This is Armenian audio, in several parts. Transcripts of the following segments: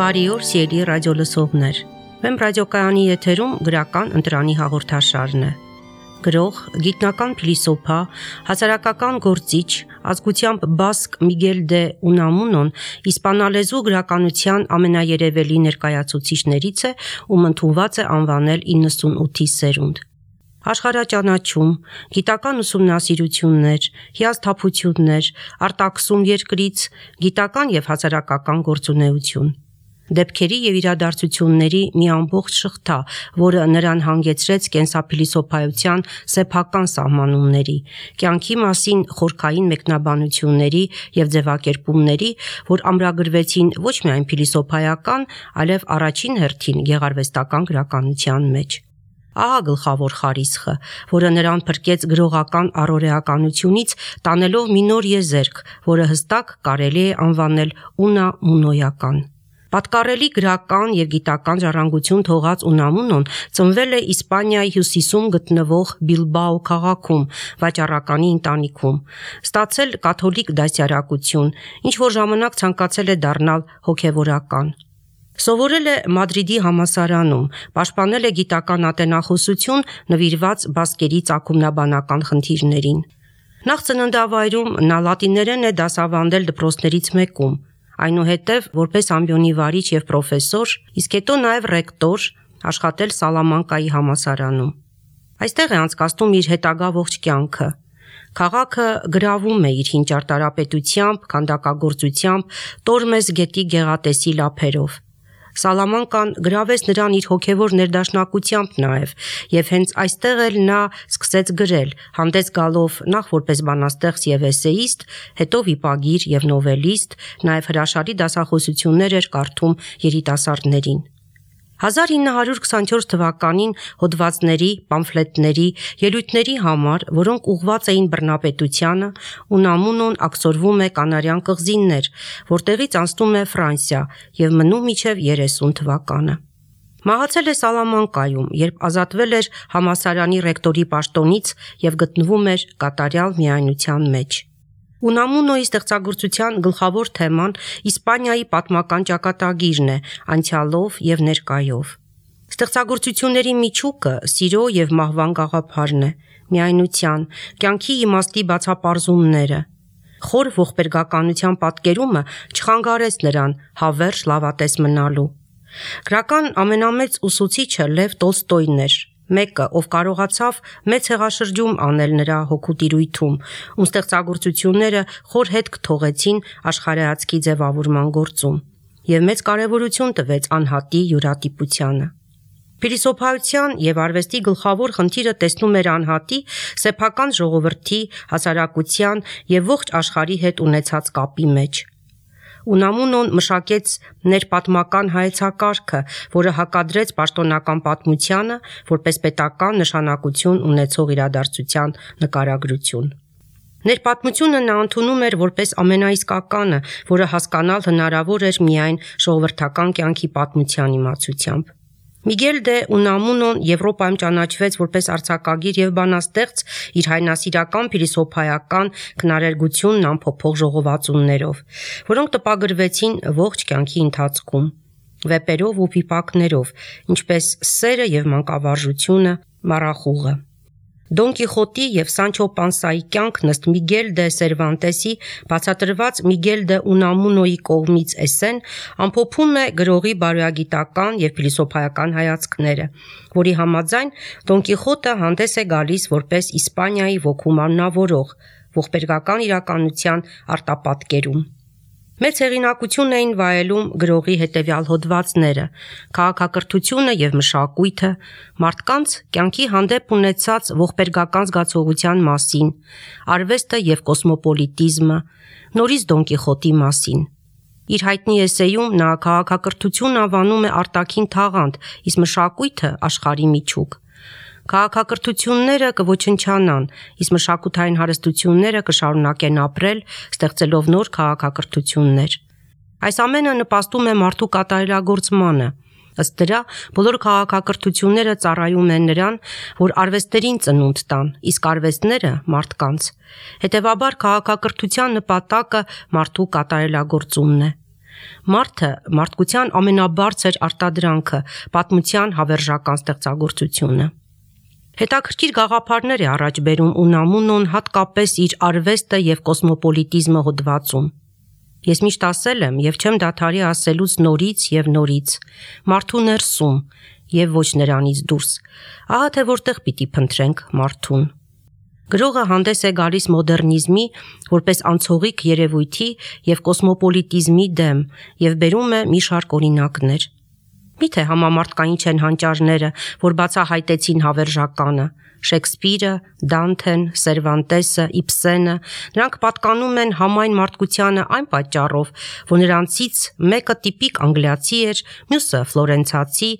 Բարի օր, սիրելի ռադիոլսողներ։ Մեմ ռադիոկայանի եթերում գրական ընտրանի հաղորդաշարն է։ Գրող, գիտնական փիլիսոփա, հասարակական գործիչ, ազգությամբ բասկ Միգել դե Ունամունոն իսպանալեզու գրականության ամենաերևելի ներկայացուցիչներից է, ում ընդունված է անվանել 98-ի սերունդ։ Աշխարհաճանաչում, գիտական ուսումնասիրություններ, հիասթափություններ, արտաքսում երկրից, գիտական եւ հասարակական գործունեություն։ Դեպքերի եւ իրադարձությունների մի ամբողջ շղթա, որը նրան հանգեցրեց կենսափիլիսոփայության սեփական սահմանումների, կյանքի մասին խորքային մեկնաբանությունների եւ ձևակերպումների, որ ամրագրվեցին ոչ միայն փիլիսոփայական, այլև առաջին հերթին գեղարվեստական գրականության մեջ։ Ահա գլխավոր խարիսխը, որը նրան փրկեց գրողական առօրեականությունից, տանելով մի նոր եզերք, որը հստակ կարելի է անվանել ունամունոյական։ Պատկառելի գրական եւ գիտական ժառանգություն թողած Ունամունոն ծնվել է Իսպանիայի հյուսիսում գտնվող Բիլբաո քաղաքում, վաճառականի ընտանիքում, ստացել կաթոլիկ դասյարակություն, ինչ որ ժամանակ ցանկացել է դառնալ հոգևորական։ Սովորել է Մադրիդի համալսարանում, պաշտպանել է գիտական ատենախոսություն նվիրված բասկերի ծագումնաբանական խնդիրներին։ Նախ ծննդավայրում նա լատիներեն է դասավանդել դպրոցներից մեկում, այնուհետև որպես ամբիոնի վարիչ եւ պրոֆեսոր, իսկ հետո նաեւ ռեկտոր, աշխատել Սալամանկայի համալսարանում։ Այստեղ է անցկացնում իր հետագա ողջ կյանքը։ Քաղաքը գրավում է իր հին ճարտարապետությամբ, քանդակագործությամբ, Տորմես գետի գեղատեսիլ ափերով։ Սալամանկան գրավեց նրան իր հոգևոր ներդաշնակությամբ նաև, եւ հենց այստեղ էլ նա սկսեց գրել, հանդես գալով նախ որպես բանաստեղծ եւ էսեիստ, հետո վիպագիր եւ նովելիստ, նաև հրաշալի դասախոսություններ էր կարդում երիտասարդներին։ 1924 թվականին հոդվածների, պամֆլետների, ելույթների համար, որոնք ուղղված էին բռնապետությանը, Ունամունոն աքսորվում է Կանարյան կղզիներ, որտեղից անցնում է Ֆրանսիա եւ մնում մինչեւ 30 թվականը։ Մահացել է Սալամանկայում, երբ ազատվել էր համալսարանի ռեկտորի պաշտոնից եւ գտնվում էր կատարյալ միայնության մեջ։ Ունամունոյի ստեղծագործության գլխավոր թեման Իսպանիայի պատմական ճակատագիրն է, անցյալով եւ ներկայով։ Ստեղծագործությունների միջուկը սիրո եւ մահվան գաղափարն է, միայնության, կյանքի իմաստի բացապարզումները։ Խոր ողբերգականության պատկերումը չխանգարեց նրան հավերժ լավատես մնալու։ Գրական ամենամեծ ուսուցիչը Լև Տոլստոյն էր, մեկը, ով կարողացավ մեծ հեղաշրջում անել նրա հոգու տիրույթում, ում ստեղծագործությունները խոր հետք թողեցին աշխարհայացքի ձևավորման գործում եւ մեծ կարեւորություն տվեց անհատի յուրատիպությանը։ Փիլիսոփայության եւ արվեստի գլխավոր խնդիրը տեսնում էր անհատի, սեփական ժողովրդի, հասարակության եւ ողջ աշխարհի հետ ունեցած կապի մեջ։ Ունամունոն մշակեց ներպատմական հայեցակարգը, որը հակադրեց պաշտոնական պատմությանը որպես պետական նշանակություն ունեցող իրադարձության նկարագրություն։ Ներպատմությունը նա ընդունում էր որպես ամենաիսկականը, որը հասկանալ հնարավոր էր միայն ժողովրդական կյանքի պատմության իմացությամբ։ Միգել դե Ունամունոն Եվրոպայում ճանաչվեց որպես արձակագիր եւ բանաստեղծ իր հայնասիրական փիլիսոփայական քնարերգությունն ամփոփող ժողովածուներով, որոնք տպագրվեցին ողջ կյանքի ընթացքում, վեպերով ու վիպակներով, ինչպես Սերը եւ մանկավարժությունը, Մառախուղը։ Դոն Կիխոտի եւ Սանչո Պանսայի կյանքն ըստ Միգել դե Սերվանտեսի բացատրված Միգել դե Ունամունոյի կողմից էսսեն ամփոփում է գրողի բարոյագիտական եւ փիլիսոփայական հայացքները, որի համաձայն Դոն Կիխոտը հանդես է գալիս որպես Իսպանիայի ոգու մարմնավորող, ողբերգական իրականության արտապատկերում։ Մեծ հեղինակություն էին վայելում գրողի հետևյալ հոդվածները՝ քաղաքակրթությունը եւ մշակույթը, մարդկանց կյանքի հանդեպ ունեցած ողբերգական զգացողության մասին, արվեստը եւ կոսմոպոլիտիզմը, նորից Դոն Կիխոտի մասին։ Իր հայտնի էսեյում նա քաղաքակրթություն անվանում է արտաքին թաղանթ, իսկ մշակույթը աշխարհի միջուկ։ Քաղաքակրթությունները կոչնչանան, իսկ մշակութային հարստությունները կշարունակեն ապրել, ստեղծելով նոր քաղաքակրթություններ։ Այս ամենը նպաստում է մարդու կատարելագործմանը։ Ըստ դրա, բոլոր քաղաքակրթությունները ծառայում են նրան, որ արվեստերին ծնունդ տան, իսկ արվեստները մարդկանց։ Հետևաբար քաղաքակրթության նպատակը մարդու կատարելագործումն է։ Մարդը մարդկության ամենաբարձր արտադրանքը, պատմության հավերժական ստեղծագործությունը։ Հետաքրքիր գաղափարներ է առաջ բերում Ունամունոն հատկապես իր արվեստը եւ կոսմոպոլիտիզմը հոդվածում։ Ես միշտ ասել եմ եւ չեմ դադարի ասելուց նորից եւ նորից. մարդու ներսում եւ ոչ նրանից դուրս։ Ահա թե որտեղ պիտի փնտրենք մարդուն։ Գրողը հանդես է գալիս մոդեռնիզմի որպես անցողիկ երևույթի եւ կոսմոպոլիտիզմի դեմ եւ բերում է մի շարք օրինակներ։ Միթե համամարտկային չեն հանճարները, որ բացահայտեցին հավերժականը, Շեքսպիրը, Դանթեն, Սերվանտեսը, Իբսենը, նրանք պատկանում են համայն մարդկությանը այն պատճառով, որ նրանցից մեկը տիպիկ անգլիացի էր, մյուսը ֆլորենցացի,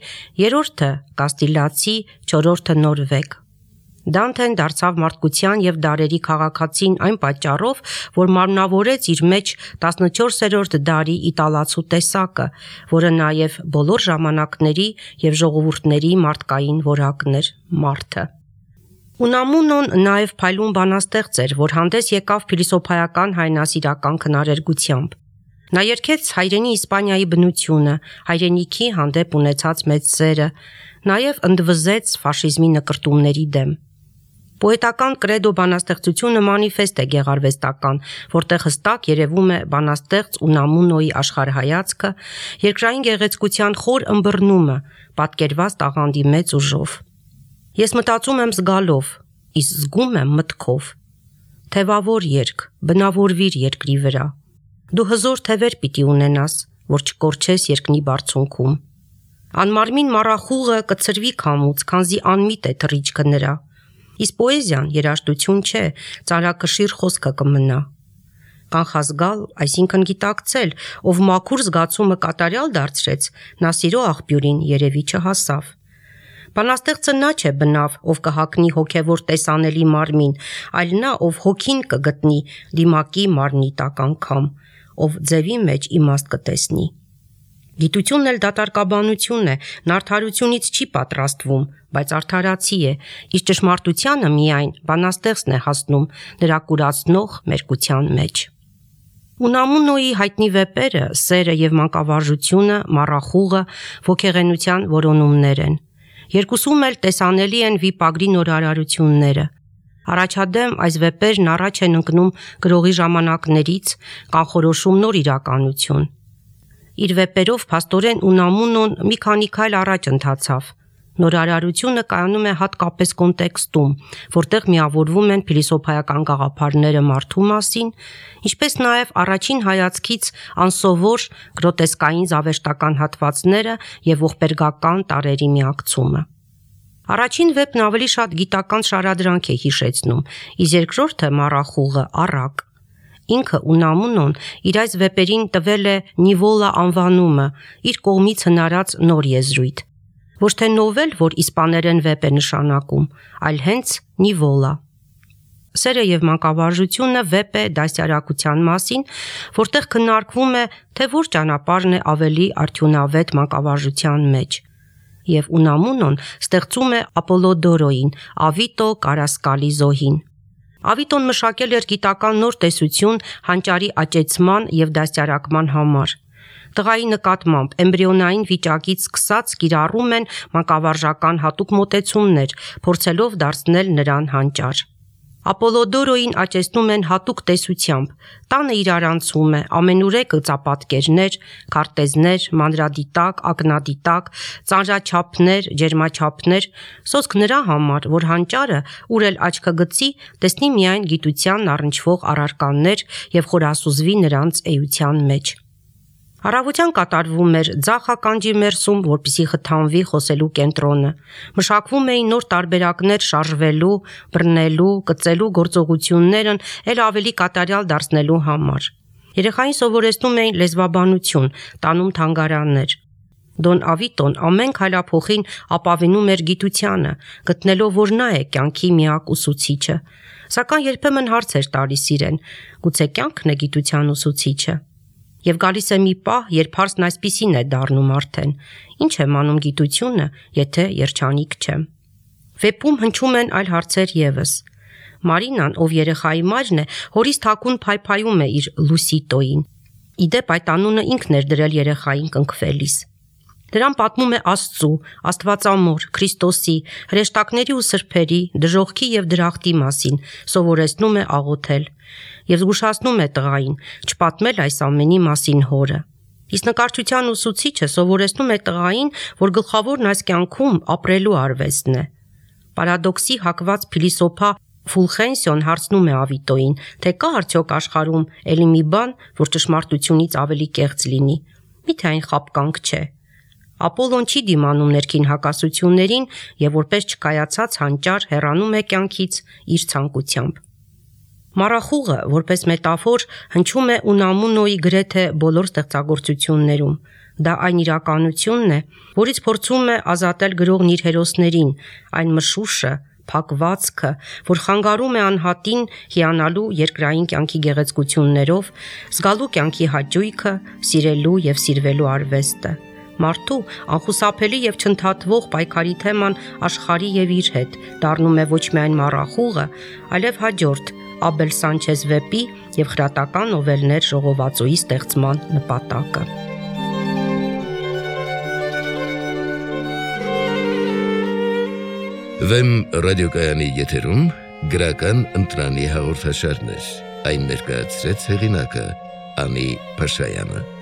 երրորդը կաստիլացի, չորրորդը նորվեգ։ Դանթեն դարձավ մարդկության եւ դարերի քաղաքացին այն պատճառով, որ մարմնավորեց իր մեջ 14-րդ դարի իտալացու տեսակը, որը նաեւ բոլոր ժամանակների եւ ժողովուրդների մարդկային որակն էր՝ մարդը։ Ունամունոն նաեւ փայլուն բանաստեղծ էր, որ հանդես եկավ փիլիսոփայական հայրենասիրական քնարերգությամբ։ Նա երգեց հայրենի Իսպանիայի բնությունը, հայրենիքի հանդեպ ունեցած մեծ սերը, նաեւ ընդվզեց ֆաշիզմի նկրտումների դեմ։ Պոետական կրեդո բանաստեղծությունը մանիֆեստ է գեղարվեստական, որտեղ հստակ երևում է բանաստեղծ Ունամունոյի աշխարհայացքը, երկրային գեղեցկության խոր ըմբռնումը, պատկերված տաղանդի մեծ ուժով։ Ես մտածում եմ զգալով, իսկ զգում եմ մտքով։ Թևավոր երգ, բնավորվիր երկրի վրա։ Դու հզոր թևեր պիտի ունենաս, որ չկորչես երկնի բարձունքում։ Անմարմին մառախուղը կցրվի քամուց, քանզի անմիտ է թռիչքը նրա։ Իսկ պոեզիան երաժշտություն չէ, ծանրակշիռ խոսքը կմնա։ Կանխազգալ, այսինքն գիտակցել, ով մաքուր զգացումը կատարյալ դարձրեց, նա սիրո աղբյուրին երևի չհասավ։ Բանաստեղծը նա չէ բնավ, ով կհագնի հոգևոր տեսանելի մարմին, այլ նա, ով հոգին կգտնի դիմակի մարմնի տակ անգամ, ով ձևի մեջ իմաստ կտեսնի։ Գիտությունն էլ դատարկաբանություն է, նա արդարությունից չի պատրաստվում, բայց արդարացի է, իսկ ճշմարտությանը միայն բանաստեղծն է հասնում նրա կուրացնող մերկության մեջ։ Ունամունոյի հայտնի վեպերը, սերը եւ մանկավարժությունը, մառախուղը, ոգեղենության որոնումներ են։ Երկուսում էլ տեսանելի են վիպագրի նորարարությունները։ Առաջադեմ այս վեպերն առաջ են ընկնում գրողի ժամանակներից, կանխորոշում նոր իրականություն։ Իր վեպերով փաստորեն Ունամունոն մի քանի քայլ առաջ ընթացավ։ Նորարարությունը կայանում է հատկապես կոնտեքստում, որտեղ միավորվում են փիլիսոփայական գաղափարները մարդու մասին, ինչպես նաև առաջին հայացքից անսովոր գրոտեսկային զավեշտական հատվածները եւ ողբերգական տարրերի միակցումը։ Առաջին վեպն ավելի շատ գիտական շարադրանք է հիշեցնում, իսկ երկրորդը մառախուղը առակ։ Ինքը Ունամունոն իր այս վեպերին տվել է նիվոլա անվանումը, իր կողմից հնարած նոր եզրույթ։ Ոչ թե նովել, որ իսպաներեն վեպ է նշանակում, այլ հենց նիվոլա։ Սերը եւ մանկավարժությունը վեպ է դասյարակության մասին, որտեղ քննարկվում է, թե որ ճանապարհն է ավելի արդյունավետ մանկավարժության մեջ։ Եվ Ունամունոն ստեղծում է Ապոլոդորոյին, Ավիտո Կարասկալի զոհին։ Ավիտոն մշակել էր գիտական նոր տեսություն հանճարի աճեցման եւ դաստիարակման համար։ Տղայի նկատմամբ էմբրիոնային վիճակից սկսած կիրառում են մանկավարժական հատուկ մոտեցումներ, փորձելով դարձնել նրան հանճար։ Ապոլոդորոյին աճեցնում են հատուկ տեսությամբ, տանը իրարանցում է ամենուրեք գծապատկերներ, քարտեզներ, մանրադիտակ, ակնադիտակ, ծանրաչափներ, ջերմաչափներ, սոսկ նրա համար, որ հանճարը, ուր էլ աչքը գցի, տեսնի միայն գիտությանն առնչվող առարկաներ եւ խորասուզվի նրանց էության մեջ։ Առավոտյան կատարվում էր ձախ ականջի մերսում, որպեսզի խթանվի խոսելու կենտրոնը։ Մշակվում էին նոր տարբերակներ շարժվելու, բռնելու, կծելու գործողություններն էլ ավելի կատարյալ դարձնելու համար։ Երեխային սովորեցնում էին լեզվաբանություն, տանում թանգարաններ։ Դոն Ավիտոն ամեն քայլափոխին ապավինում էր գիտությանը, գտնելով, որ նա է կյանքի միակ ուսուցիչը։ Սակայն երբեմն հարց էր տալիս իրեն. գուցե կյանքն է գիտության ուսուցիչը։ Եվ գալիս է մի պահ, երբ հարցն այսպիսին է դառնում արդեն. ինչ եմ անում գիտությունը, եթե երջանիկ չեմ։ Վեպում հնչում են այլ հարցեր եւս։ Մարինան, ով երեխայի մայրն է, հորից թաքուն փայփայում է իր Լուսիտոին։ Իդեպ այդ անունը ինքն էր դրել երեխային կնքվելիս։ Դրան պատմում է Աստծու, Աստվածամոր, Քրիստոսի, հրեշտակների ու սրբերի, դժոխքի եւ դրախտի մասին, սովորեցնում է աղոթել եւ զգուշացնում է տղային, չպատմել այս ամենի մասին հորը։ Իսկ նկարչության ուսուցիչը սովորեցնում է տղային, որ գլխավորն այս կյանքում ապրելու արվեստն է։ Պարադոքսի հակված փիլիսոփա Ֆուլխենսիոն հարցնում է Ավիտոյին, թե կա արդյոք աշխարհում էլի մի բան, որ ճշմարտությունից ավելի կեղծ լինի։ Միթե այն խաբկանք չէ։ Ապոլոն չի դիմանում ներքին հակասություններին եւ որպես չկայացած հանճար հեռանում է կյանքից իր ցանկությամբ։ Մառախուղը, որպես մետաֆոր, հնչում է Ունամունոյի գրեթե բոլոր ստեղծագործություններում։ Դա այն իրականությունն է, որից փորձում է ազատել գրողն իր հերոսներին, այն մշուշը, փակվածքը, որ խանգարում է անհատին հիանալու երկրային կյանքի գեղեցկություններով, զգալու կյանքի հաճույքը, սիրելու եւ սիրվելու արվեստը։ Մարդու անխուսափելի եւ չընդհատվող պայքարի թեման աշխարհի եւ իր հետ դառնում է ոչ միայն մառախուղը, այլև հաջորդ Աբել Սանչեզ վեպի եւ խրատական նովելներ ժողովածուի ստեղծման նպատակը։ Վեմ ռադիոկայանի եթերում գրական ընտրանի հաղորդաշարներ, այն ներկայացրեց հեղինակը Անի Փաշայանը։